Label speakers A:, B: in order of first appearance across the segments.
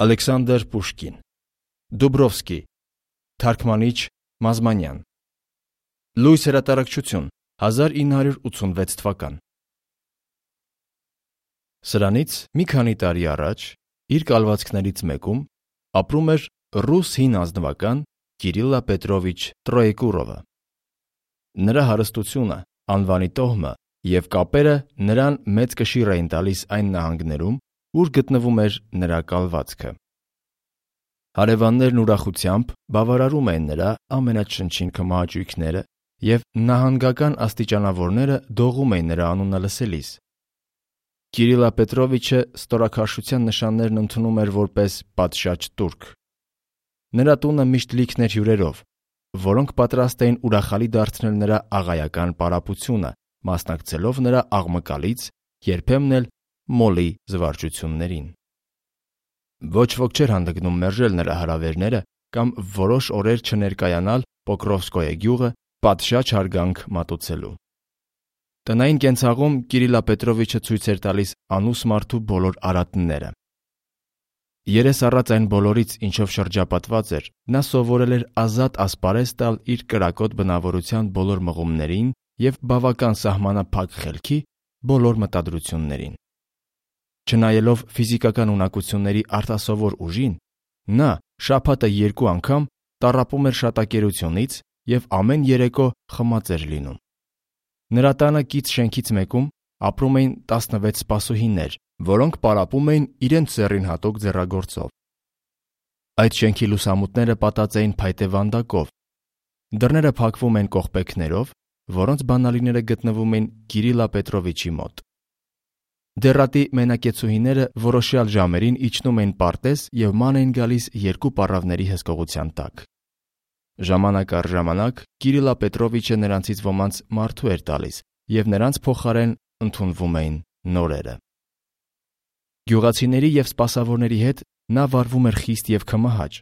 A: Ալեքսանդր Պուշկին Դուբրովսկի Թարգմանիչ Մազմանյան Լույս հրատարակչություն 1986 թվական Սրանից մի քանի տարի առաջ իր կալվածքներից մեկում ապրում էր ռուս հին ազնվական Կիրիլլա Պետրովիչ Տրոեկուրովը։ Նրա հարստությունը, անվանի տոհմը և կապերը նրան մեծ կշիռ էին տալիս այն նահանգներում, ուր գտնվում էր նրա կալվածքը։ Հարևաններն ուրախությամբ բավարարում էին նրա ամենաչնչին քմահաճույքները և նահանգական աստիճանավորները դողում էին նրա անունը լսելիս։ Կիրիլլա Պետրովիչը ստորաքաշության նշաններն ընդունում էր որպես պատշաճ տուրք։ Նրա տունը միշտ լիքն էր հյուրերով, որոնք պատրաստ էին ուրախալի դարձնել նրա աղայական պարապությունը, մասնակցելով նրա աղմկալից, երբեմն էլ մոլի զվարճություններին։ Ոչ ոք չէր հանդգնում մերժել նրա հրավերները կամ որոշ օրեր չներկայանալ Պոկրովսկոյե գյուղը պատշաճ հարգանք մատուցելու։ Տնային կենցաղում Կիրիլլա Պետրովիչը ցույց էր տալիս անուս մարդու բոլոր արատները։ Երես առած այն բոլորից, ինչով շրջապատված էր, նա սովորել էր ազատ ասպարեզ տալ իր կրակոտ բնավորության բոլոր մղումներին և բավական սահմանափակ խելքի բոլոր մտադրություններին։ Չնայելով ֆիզիկական ունակությունների արտասովոր ուժին, նա շաբաթը 2 անգամ տառապում էր շատակերությունից և ամեն երեկո խմած էր լինում։ Նրա տանը կից շենքից մեկում ապրում էին 16 սպասուհիներ, որոնք պարապում էին իրենց ձեռին հատուկ ձեռագործով։ Այդ շենքի լուսամուտները պատած էին փայտե վանդակով։ Դռները փակվում են կողպեքներով, որոնց բանալիները գտնվում են Կիրիլլա Պետրովիչի մոտ։ Դեռատի մենակեցուհիները որոշյալ ժամերին իջնում էին պարտեզ և ման էին գալիս 2 պառավների հսկողության տակ։ Ժամանակ առ ժամանակ Կիրիլլա Պետրովիչը նրանցից ոմանց մարդու էր տալիս, և նրանց փոխարեն ընդունվում էին նորերը։ Գյուղացիների և սպասավորների հետ նա վարվում էր խիստ և քմահաճ։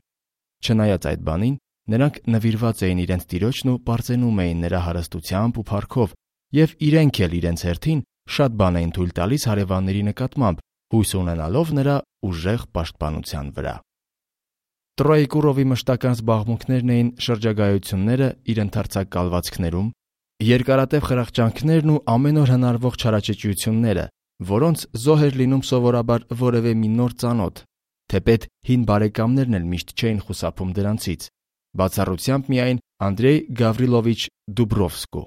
A: Չնայած այդ բանին, նրանք նվիրված էին իրենց տիրոջն ու պարծենում էին նրա հարստությամբ ու փառքով, և իրենք էլ իրենց հերթին շատ բան էին թույլ տալիս հարևանների նկատմամբ, հույս ունենալով նրա ուժեղ պաշտպանության վրա։ Տրոեկուրովի մշտական զբաղմունքներն էին շրջագայությունները իր ընդարձակ կալվածքներում, երկարատև խրախճանքներն ու ամեն օր հնարվող չարաճճիությունները, որոնց զոհ էր լինում սովորաբար որևէ մի նոր ծանոթ, թեպետ հին բարեկամներն էլ միշտ չէին խուսափում դրանցից, բացառությամբ միայն Անդրեյ Գավրիլովիչ Դուբրովսկու։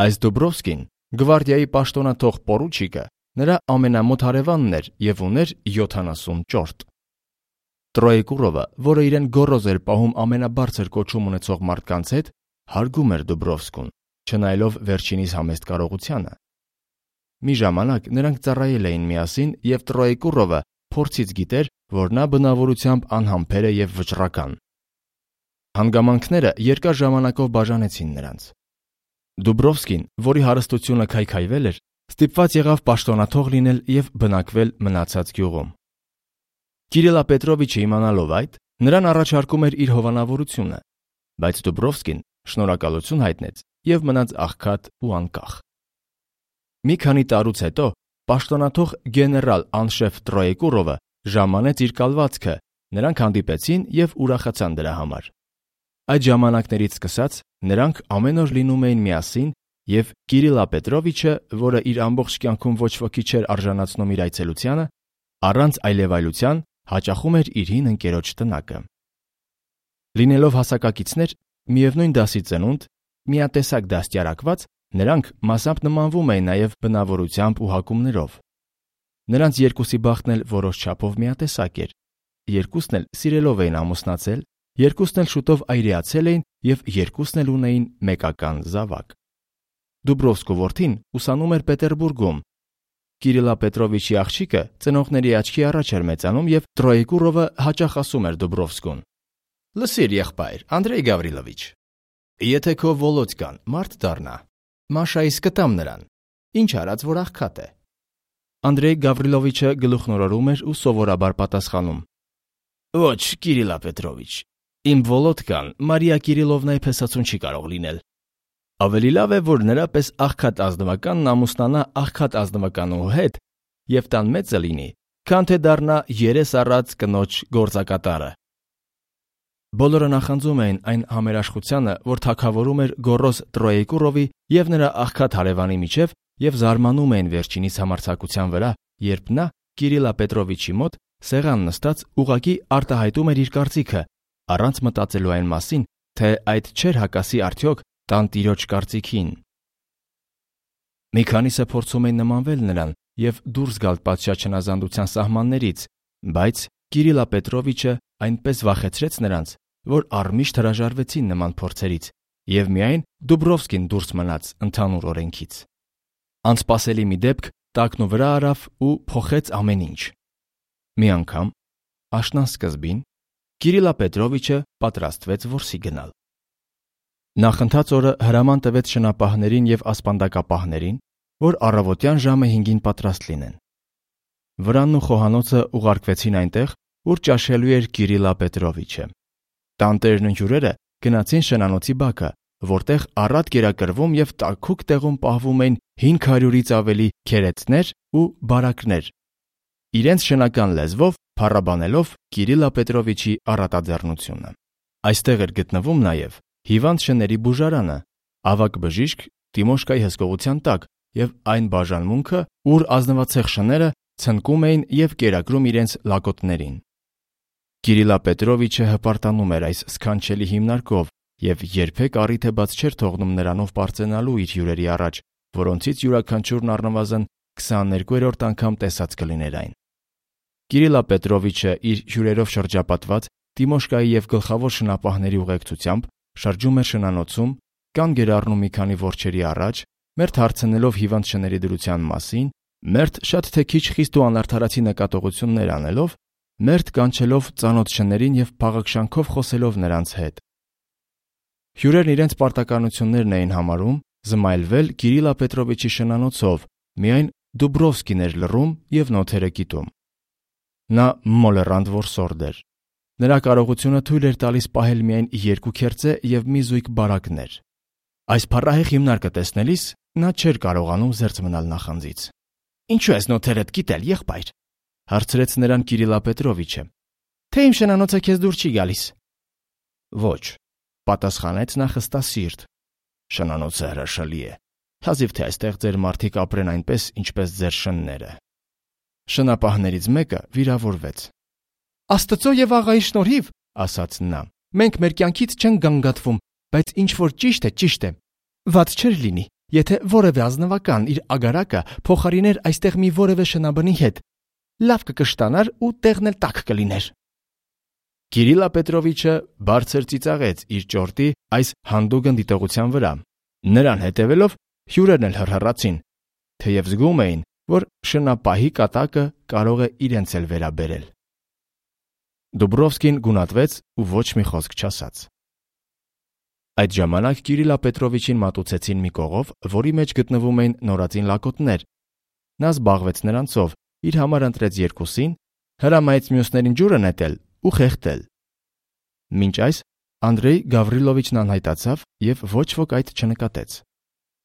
A: Այս Դուբրովսկին, գվարդիայի պաշտոնաթող պորուչիկը, նրա ամենամոտ հարևանն էր և ուներ 70 ճորտ։ Տրոեկուրովը, որը իրեն գոռոզ էր պահում ամենաբարձր կոչում ունեցող մարդկանց հետ, հարգում էր Դուբրովսկուն, չնայելով վերջինիս համեստ կարողությանը։ Մի ժամանակ նրանք ծառայել էին միասին, և Տրոեկուրովը փորձից գիտեր, որ նա բնավորությամբ անհամբեր է և վճռական։ Հանգամանքները երկար ժամանակով բաժանեցին նրանց։ Դուբրովսկին, որի հարստությունը քայքայվել էր, ստիպված եղավ պաշտոնաթող լինել և բնակվել մնացած գյուղում։ Կիրիլլա Պետրովիչը իմանալով այդ, նրան առաջարկում էր իր հովանավորությունը, բայց Դուբրովսկին շնորհակալություն հայտնեց և մնաց աղքատ ու անկախ։ Մի քանի տարուց հետո պաշտոնաթող գեներալ անշեֆ Տրոեկուրովը ժամանեց իր կալվածքը, նրանք հանդիպեցին և ուրախացան դրա համար։ Այդ ժամանակներից սկսած նրանք ամեն օր լինում էին միասին, և Կիրիլլա Պետրովիչը, որը իր ամբողջ կյանքում ոչ ոքի չէր արժանացնում իր այցելությանը, առանց այլևայլության հաճախում էր իր հին ընկերոջ տնակը։ Լինելով հասակակիցներ, միևնույն դասի ծնունդ, միատեսակ դաստիարակված, նրանք մասամբ նմանվում էին նաև բնավորությամբ ու հակումներով։ Նրանց երկուսի բախտն էլ որոշ չափով միատեսակ էր։ Երկուսն էլ սիրելով էին ամուսնացել, երկուսն էլ շուտով այրեացել էին և երկուսն էլ ունեին մեկական զավակ։ Դուբրովսկու որդին ուսանում էր Պետերբուրգում։ Կիրիլլա Պետրովիչի աղջիկը ծնողների աչքի առաջ էր մեծանում, և Տրոեկուրովը հաճախ ասում էր Դուբրովսկուն. «Լսիր, եղբայր, Անդրեյ Գավրիլովիչ, եթե քո Վոլոդկան մարդ դառնա, Մաշայից կտամ նրան, ինչ արած որ աղքատ է»։ Անդրեյ Գավրիլովիչը գլուխնորորում էր ու սովորաբար պատասխանում. «Ոչ, Կիրիլլա Պետրովիչ, իմ Վոլոդկան Մարիա Կիրիլովնայի փեսացուն չի կարող լինել։ Ավելի լավ է, որ նրա պես աղքատ ազնվականն ամուսնանա աղքատ ազնվականու հետ և տան մեծը լինի, քան թե դառնա երես առած կնոջ գործակատարը։ Բոլորը նախանձում էին այն համերաշխությանը, որ թագավորում էր Գոռոս Տրոեկուրովի եւ նրա աղքատ հարևանի միջև, եւ զարմանում էին վերջինիս համարձակության վրա, երբ նա Կիրիլա Պետրովիչի մոտ սեղան նստած ուղղակի արտահայտում էր իր կարծիքը, առանց մտածելու այն մասին, թե այդ չէր հակասի արդյոք տանտիրոջ կարծիքին։ Մի քանիսը փորձում էին նմանվել նրան եւ դուրս գալ պատշաճ հնազանդության սահմաններից, բայց Կիրիլա Պետրովիչը այնպես վախեցրեց նրանց, որ առմիշտ հրաժարվեցին նման փորձերից, եւ միայն Դուբրովսկին դուրս մնաց ընդհանուր օրենքից։ Անսպասելի մի դեպք տակնու վրա արավ ու փոխեց ամեն ինչ։ Մի անգամ, աշնան սկզբին, Կիրիլա Պետրովիչը պատրաստվեց որսի գնալ։ Նախընթաց օրը հրաման տվեց շնապահներին եւ ասպանդակապահներին, որ առավոտյան ժամը 5-ին պատրաստ լինեն։ Վրանն ու խոհանոցը ուղարկվեցին այնտեղ, ուր ճաշելու էր Կիրիլա Պետրովիչը։ Տանտերն ու հյուրերը գնացին շնանոցի բակը, որտեղ առատ կերակրվում եւ տաքուկ տեղում պահվում էին 500-ից ավելի քերեցներ ու բարակներ, իրենց շնական լեզվով փառաբանելով Կիրիլա Պետրովիչի առատաձեռնությունը։ Այստեղ էր գտնվում նաեւ հիվանդ շների բուժարանը, ավագ բժիշկ Տիմոշկայի հսկողության տակ եւ այն բաժանմունքը, ուր ազնվացեղ շները ցնկում էին եւ կերակրում իրենց լակոտներին։ Կիրիլա Պետրովիչը հպարտանում էր այս սքանչելի հիմնարկով եւ երբեք առիթ է բաց չէր թողնում նրանով պարծենալու իր հյուրերի առաջ, որոնցից յուրաքանչյուրն առնվազն 22-րդ անգամ տեսած կլիներ այն։ Կիրիլա Պետրովիչը իր հյուրերով շրջապատված Տիմոշկայի եւ գլխավոր շնապահների ուղեկցությամբ շրջում էր շնանոցում, կանգ էր առնում մի քանի որջերի առաջ, մերթ հարցնելով հիվանդ շների դրության մասին, մերթ շատ թե քիչ խիստ ու անարդարացի նկատողություններ անելով, մերթ կանչելով ծանոթ շներին եւ փաղաքշանքով խոսելով նրանց հետ։ Հյուրերն իրենց պարտականություններն էին համարում զմայլվել Կիրիլա Պետրովիչի շնանոցով, միայն Դուբրովսկին էր լռում եւ նոթերը կիտում։ Նա մոլեռանդ որսորդ էր։ Նրա կարողությունը թույլ էր տալիս պահել միայն 2 քերծե եւ մի զույգ բարակներ։ Այս փառահեղ հիմնարկը տեսնելիս նա չէր կարողանում զերծ մնալ նախանձից։ Ինչու ես նոթերդ կիտել, եղբայր, հարցրեց նրան Կիրիլա Պետրովիչը։ Թե իմ շնանոցը քեզ դուր չի գալիս։ Ոչ, պատասխանեց նա խստասիրտ։ Շնանոցը հրաշալի է, հազիվ թե այստեղ ձեր մարդիկ ապրեն այնպես, ինչպես ձեր շնները։ Շնապահներից մեկը վիրավորվեց։ Աստծո եւ աղայի շնորհիվ, ասաց նա, մենք մեր կյանքից չենք գանգատվում, բայց ինչ որ ճիշտ է։ Վատ չէր լինի, եթե որևէ ազնվական իր ագարակը փոխարիներ այստեղ մի որևէ շնաբնի հետ։ Լավ կկշտանար ու տեղն էլ տաք կլիներ։ Կիրիլա Պետրովիչը բարձր ծիծաղեց իր ճորտի այս հանդուգն դիտողության վրա։ Նրան հետևելով հյուրերն էլ հռհռացին, թեև զգում էին, որ շնապահի կատակը կարող է իրենց էլ վերաբերել։ Դուբրովսկին գունատվեց ու ոչ մի խոսք չասաց։ Այդ ժամանակ Կիրիլա Պետրովիչին մատուցեցին մի կողով, որի մեջ գտնվում էին նորածին լակոտներ։ Նա զբաղվեց նրանցով, իր համար ընտրեց 2-ին, հրամայեց մյուսներին ջուրը նետել ու խեղդել։ Մինչ այս Անդրեյ Գավրիլովիչն անհայտացավ եւ ոչ ոք այդ չնկատեց։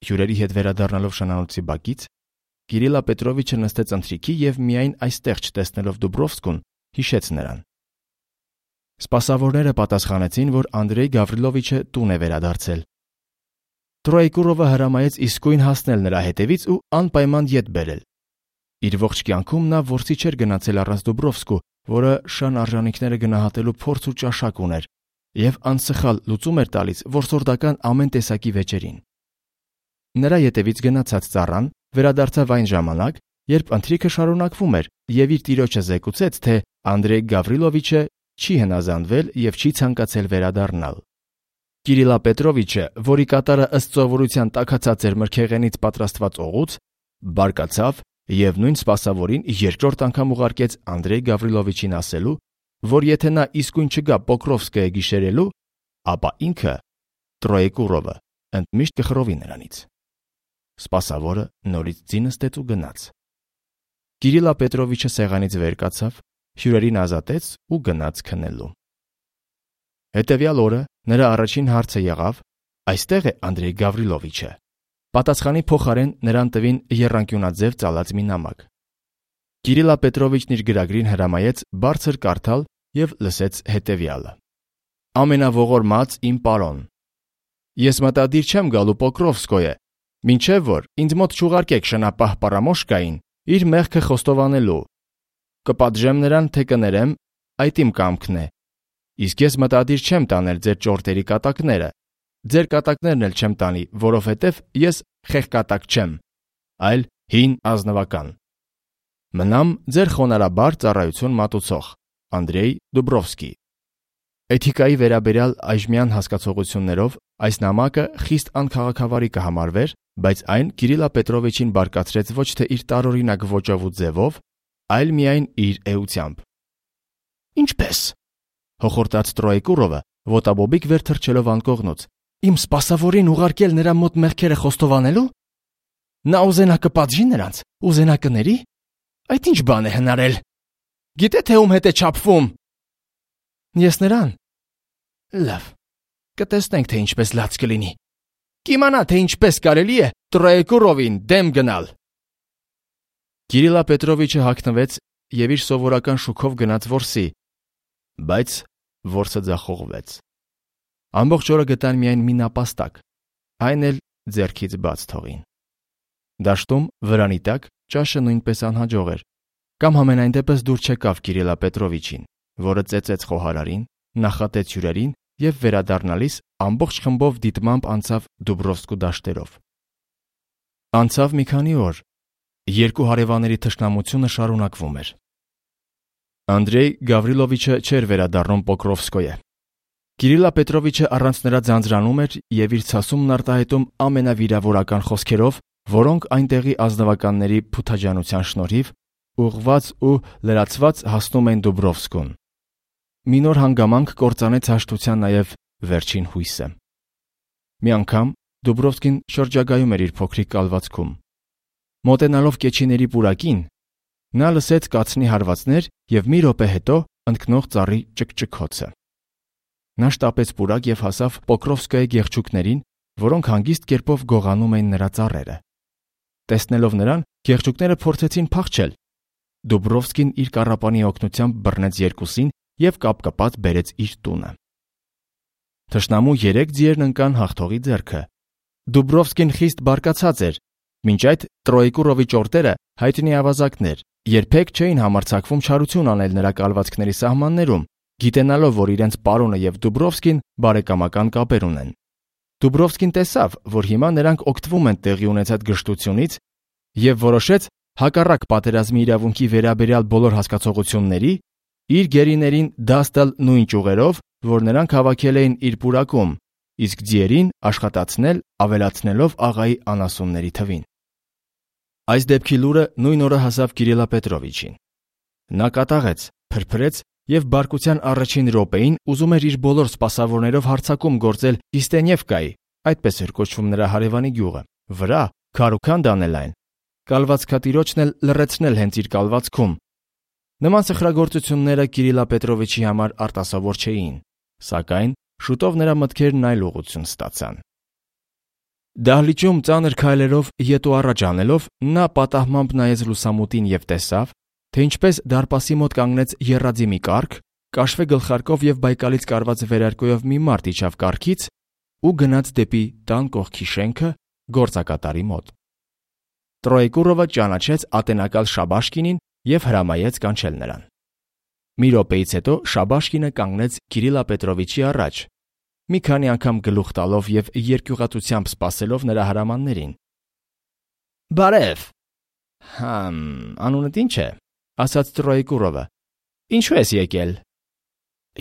A: Հյուրերի հետ վերադառնալով շնանոցի բակից, Կիրիլա Պետրովիչը նստեց ընթրիքի եւ միայն այստեղ չտեսնելով Դուբրովսկուն, հիշեց նրան։ Սպասավորները պատասխանեցին, որ Անդրեյ Գավրիլովիչը տուն է վերադարձել։ Տրոեկուրովը հրամայեց իսկույն հասնել նրա հետևից ու անպայման ետ բերել։ Իր ողջ կյանքում նա որսի չէր գնացել առանց Դուբրովսկու, որը շան արժանինքները գնահատելու փորձ ու ճաշակ ուներ, եւ անսխալ լուծում էր տալիս որսորդական ամեն տեսակի վեճերին։ Նրա ետևից գնացած ծառան վերադարձավ այն ժամանակ, երբ ընթրիքը շարունակվում էր, եւ իր տիրոջը զեկուցեց, թե Անդրեյ Գավրիլովիչը չի հնազանդվել եւ չի ցանկացել վերադառնալ։ Կիրիլա Պետրովիչը, որի կատարը ըստ սովորության տաքացած էր մրգեղենից պատրաստված օղուց, բարկացավ եւ նույն սպասավորին երկրորդ անգամ ուղարկեց Անդրեյ Գավրիլովիչին ասելու, որ եթե նա իսկույն չգա Պոկրովսկը գիշերելու, ապա ինքը Տրոեկուրովը ընդմիշտ կխռովի նրանից։ Սպասավորը նորից ձի նստեց ու գնաց։ Կիրիլա Պետրովիչը սեղանից վեր կացավ, հյուրերին ազատեց ու գնաց քնելու։ Հետևյալ օրը նրա առաջին հարցը եղավ. «Այստեղ է Անդրեյ Գավրիլովիչը»։ Պատասխանի փոխարեն նրան տվին եռանկյունաձև ծալած մի նամակ։ Կիրիլա Պետրովիչն իր գրագրին հրամայեց բարձր կարդալ եւ լսեց հետեւյալը. Ամենաողորմած իմ պարոն, ես մտադիր չեմ գալու Պոկրովսկոյե, մինչև որ ինձ մոտ չուղարկեք շնապահ Պարամոշկային իր մեղքը խոստովանելու։ Կպատժեմ նրան, թե կներեմ, այդ իմ կամքն է։ Իսկ ես մտադիր չեմ տանել ձեր ճորտերի կատակները, ձեր կատակներն էլ չեմ տանի, որովհետև ես խեղկատակ չեմ, այլ հին ազնվական։ Մնամ ձեր խոնարհաբար ծառայություն մատուցող Անդրեյ Դուբրովսկի։ Էթիկայի վերաբերյալ այժմյան հասկացողություններով այս նամակը խիստ անքաղաքավարի կհամարվեր, բայց այն Կիրիլա Պետրովիչին բարկացրեց ոչ թե իր տարօրինակ ոճով ու ձևով, այլ միայն իր էությամբ։ Ինչպես։ Հոխորտաց Տրոեկուրովը ոտաբոբիկ վեր թռչելով անկողնուց։ Իմ սպասավորին ուղարկել նրա մոտ մեղքերը խոստովանելու։ Նա ուզենա կպատժի նրանց, ուզենա կների։ Այդ ինչ բան է հնարել։ Գիտե թե ում հետ է չափվում։ Ես նրան։ Լավ, կտեսնենք թե ինչպես լաց կլինի։ Կիմանա թե ինչպես կարելի է Տրոեկուրովին դեմ գնալ։ Կիրիլա Պետրովիչը հագնվեց եւ իր սովորական շուքով գնաց որսի, բայց որսը ձախողվեց։ Ամբողջ օրը գտան միայն մի նապաստակ, այն էլ ձեռքից բաց թողին։ Դաշտում վրանի տակ ճաշը նույնպես անհաջող էր, կամ համենայն դեպս դուր չեկավ Կիրիլա Պետրովիչին, որը ծեծեց խոհարարին, նախատեց հյուրերին եւ վերադառնալիս ամբողջ խմբով դիտմամբ անցավ Դուբրովսկու դաշտերով։ Անցավ մի քանի օր, երկու հարևանների թշնամությունը շարունակվում էր։ Անդրեյ Գավրիլովիչը չէր վերադառնում Պոկրովսկոյե։ Կիրիլա Պետրովիչը առանց նրա ձանձրանում էր եւ իր ցասումն արտահայտում ամենավիրավորական խոսքերով, որոնք այնտեղի ազնվականների փութաջանության շնորհիվ ուղղված ու լրացված հասնում են Դուբրովսկուն։ Մի նոր հանգամանք կործանեց հաշտության նաև վերջին հույսը։ Մի անգամ Դուբրովսկին շրջագայում էր իր փոքրիկ կալվածքում։ Մոտենալով կեչիների պուրակին, նա լսեց կացնի հարվածներ եւ մի րոպե հետո ընկնող ծառի ճկճկոցը։ Նա շտապեց պուրակ եւ հասավ Պոկրովսկայի գեղչուկներին, որոնք հանգիստ կերպով գողանում էին նրա ծառերը։ Տեսնելով նրան, գեղչուկները փորձեցին փախչել։ Դուբրովսկին իր կառապանի օգնությամբ բռնեց երկուսին եւ կապկպած բերեց իր տունը։ Թշնամու 3 ձիերն ընկան հաղթողի ձեռքը։ Դուբրովսկին խիստ բարկացած էր, մինչ այդ Տրոեկուրովի ճորտերը հայտնի ավազակներ, երբեք չէին համարձակվում չարություն անել նրա կալվածքների սահմաններում, գիտենալով, որ իրենց պարոնը եւ Դուբրովսկին բարեկամական կապեր ունեն։ Դուբրովսկին տեսավ, որ հիմա նրանք օգտվում են տեղի ունեցած գժտությունից եւ որոշեց հակառակ պատերազմի իրավունքի վերաբերյալ բոլոր հասկացողությունների իր գերիներին դաս տալ նույն ճյուղերով, որ նրանք հավաքել էին իր պուրակում, իսկ ձիերին աշխատացնել ավելացնելով աղայի անասունների թվին։ Այս դեպքի լուրը նույն օրը հասավ Կիրիլա Պետրովիչին։ Նա կատաղեց, փրփրեց եւ բարկության առաջին րոպեին ուզում էր իր բոլոր սպասավորներով հարձակում գործել Իստենևկայի, այդպես էր կոչվում նրա հարևանի գյուղը, վրա քարուքան դանել այն, կալվածքատիրոջն էլ լռեցնել հենց իր կալվածքում։ Նման սխրագործությունները Կիրիլա Պետրովիչի համար արտասովոր չէին, սակայն շուտով նրա մտքերն այլ ուղղություն ստացան։ Դահլիճում ծանր քայլերով ետ ու առաջ անելով նա պատահմամբ նայեց լուսամուտին եւ տեսավ, թե ինչպես դարպասի մոտ կանգնեց եռաձի մի կառք, կաշվե գլխարկով եւ բայկալից կարված վերարկուով մի մարդ իջավ կառքից ու գնաց դեպի տան կողքի շենքը գործակատարի մոտ։ Տրոեկուրովը ճանաչեց ատենակալ Շաբաշկինին եւ հրամայեց կանչել նրան։ Մի րոպեից հետո Շաբաշկինը կանգնեց Կիրիլա Պետրովիչի առաջ, մի քանի անգամ գլուխ տալով եւ երկյուղատությամբ սպասելով նրա հրամաններին։ Բարև։ Անունդ ինչ է, ասաց Տրոեկուրովը։ Ինչու ես եկել։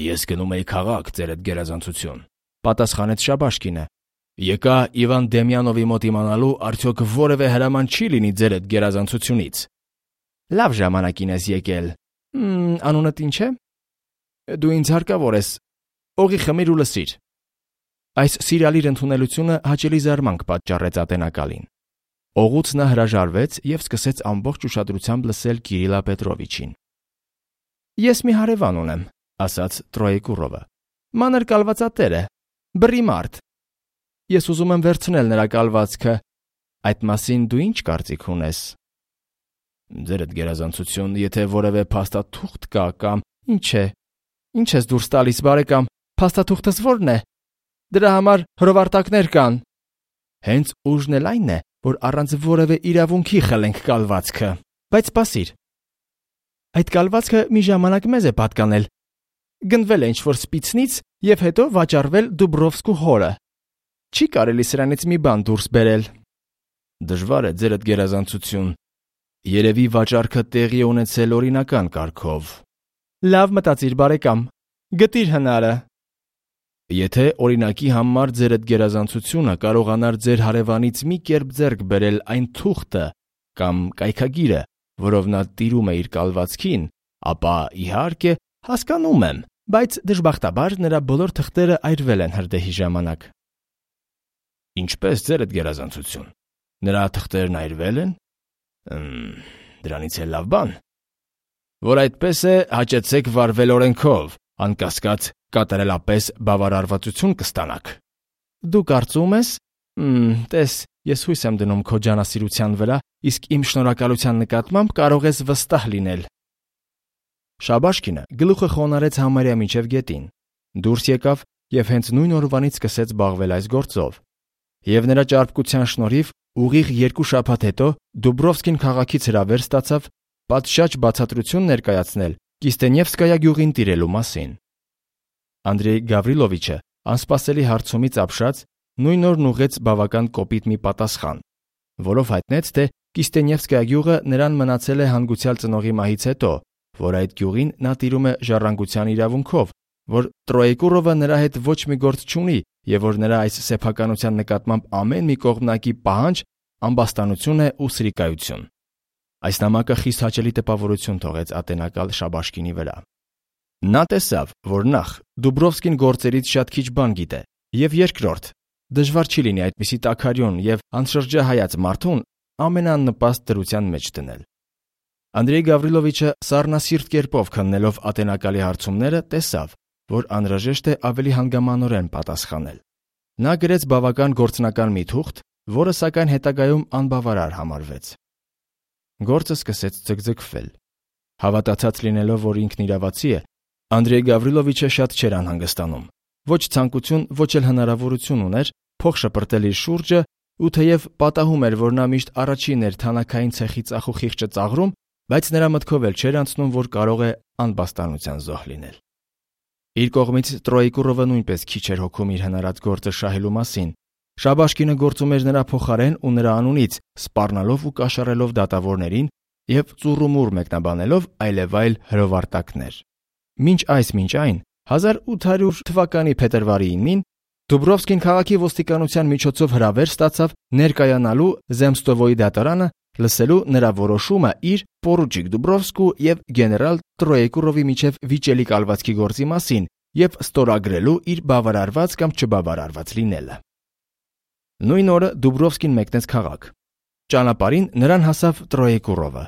A: Ես գնում եի քաղաք, ձերդ գերազանցություն, պատասխանեց Շաբաշկինը։ Եկա Իվան Դեմյանովի մոտ իմանալու, արդյոք որևէ հրաման չի լինի ձերդ գերազանցությունից։ Լավ ժամանակին ես եկել։ Անունդ ինչ է։ Դու ինձ հարկավոր ես։ Օղի խմիր ու լսիր։ Այս սիրալիր ընդունելությունը հաճելի զարմանք պատճառեց ատենակալին։ Օղուց նա հրաժարվեց եւ սկսեց ամբողջ ուշադրությամբ լսել Կիրիլա Պետրովիչին։ Ես մի հարևան ունեմ, ասաց Տրոեկուրովը։ Մանր կալվածատեր է, բռի մարդ։ Ես ուզում եմ վերցնել նրա կալվածքը։ Այդ մասին դու ինչ կարծիք ունես։ Ձերդ գերազանցություն, եթե որևէ փաստաթուղթ կա կամ ինչ ես դուրս տալիս, բարեկամ, փաստաթուղթս ո՞րն է։ Դրա համար հրովարտակներ կան։ Հենց ուժն էլ այն է, որ առանց որևէ իրավունքի խլենք կալվածքը։ Բայց սպասիր։ Այդ կալվածքը մի ժամանակ մեզ է պատկանել։ Գնվել է ինչ-որ սպիցնից եւ հետո վաճառվել Դուբրովսկու հորը։ Չի կարելի սրանից մի բան դուրս բերել։ Դժվար է, ձերդ գերազանցություն։ Երևի վաճառքը տեղի է ունեցել օրինական կարգով։ Լավ մտածիր, բարեկամ։ Գտիր հնարը։ Եթե օրինակի համար ձերդ գերազանցությունը կարողանար ձեր հարևանից մի կերպ ձեռք բերել այն թուղթը կամ կայքագիրը, որով նա տիրում է իր կալվածքին, ապա իհարկե հասկանում եմ, բայց դժբախտաբար նրա բոլոր թղթերը այրվել են հրդեհի ժամանակ։ Ինչպես ձերդ գերազանցություն։ Նրա թղթերն այրվել են։ Դրանից էլ լավ բան։ Որ այդպես է, հաճեցեք վարվել օրենքով, անկասկած կատարելապես բավարարվածություն կստանաք։ Դու կարծում ես։ Տես, ես հույս եմ դնում քո ջանասիրության վրա, իսկ իմ շնորհակալության նկատմամբ կարող ես վստահ լինել։ Շաբաշկինը գլուխը խոնարհեց համարյա միջև գետին, դուրս եկավ եւ հենց նույն օրվանից սկսեց զբաղվել այս գործով։ Եվ նրա ճարպկության շնորհիվ ուղիղ 2 շաբաթ հետո Դուբրովսկին քաղաքից հրավեր ստացավ պատշաճ բացատրություն ներկայացնել Կիստենևսկայա գյուղին տիրելու մասին։ Անդրեյ Գավրիլովիչը անսպասելի հարցումից ապշած նույն օրն ուղղեց բավական կոպիտ մի պատասխան, որով հայտնեց, թե Կիստենևսկայա գյուղը նրան մնացել է հանգուցյալ ծնողի մահից հետո, որ այդ գյուղին նա տիրում է ժառանգության իրավունքով, որ Տրոեկուրովը նրա հետ ոչ մի գործ չունի եւ որ նրա այս սեփականության նկատմամբ ամեն մի կողմնակի պահանջ ամբաստանություն է ու սրիկայություն։ Այս նամակը խիստ հաճելի տպավորություն թողեց ատենակալ Շաբաշկինի վրա։ Նա տեսավ, որ նախ Դուբրովսկին գործերից շատ քիչ բան գիտե, եւ երկրորդ, դժվար չի լինի այդպիսի տաքարյուն եւ անշրջահայաց մարդուն ամենանպաստ դրության մեջ դնել։ Անդրեյ Գավրիլովիչը սառնասիրտ կերպով քննելով ատենակալի հարցումները տեսավ, որ անհրաժեշտ է ավելի հանգամանորեն պատասխանել։ Նա գրեց բավական գործնական մի թուղթ, որը սակայն հետագայում անբավարար համարվեց։ Գործը սկսեց ձգձգվել։ Հավատացած լինելով, որ ինքն իրավացի է, Անդրեյ Գավրիլովիչը շատ չէր անհանգստանում։ Ոչ ցանկություն, ոչ էլ հնարավորություն ուներ փող շպրտել իր շուրջը, ու թեև պատահում էր, որ նա միշտ առաջին էր թանաքային ցեխի ծախուխիղճը ծաղրում, բայց նրա մտքով էլ չէր անցնում, որ կարող է անբաստանության զոհ լինել։ Իր կողմից Տրոեկուրովը նույնպես քիչ էր հոգում իր հնարած գործը շահելու մասին։ Շաբաշկինը գործում էր նրա փոխարեն ու նրա անունից, սպառնալով ու կաշառելով դատավորներին եւ ծուռումուռ մեկնաբանելով այլևայլ հրովարտակներ։ Մինչ այն 1800 թվականի փետրվարի 9-ին Դուբրովսկին քաղաքի ոստիկանության միջոցով հրավեր ստացավ ներկայանալու Զեմստովոյի դատարանը լսելու նրա որոշումը իր պորուչիկ Դուբրովսկու եւ գեներալ Տրոեկուրովի միջև վիճելի կալվածքի գործի մասին եւ ստորագրելու իր բավարարված կամ չբավարարված լինելը։ Նույն օրը Դուբրովսկին մեկնեց քաղաք։ Ճանապարհին նրան հասավ Տրոեկուրովը։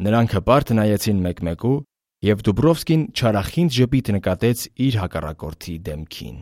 A: Նրանք հպարտ նայեցին մեկ-մեկու, եւ Դուբրովսկին չարախինդ ժպիտ նկատեց իր հակառակորդի դեմքին։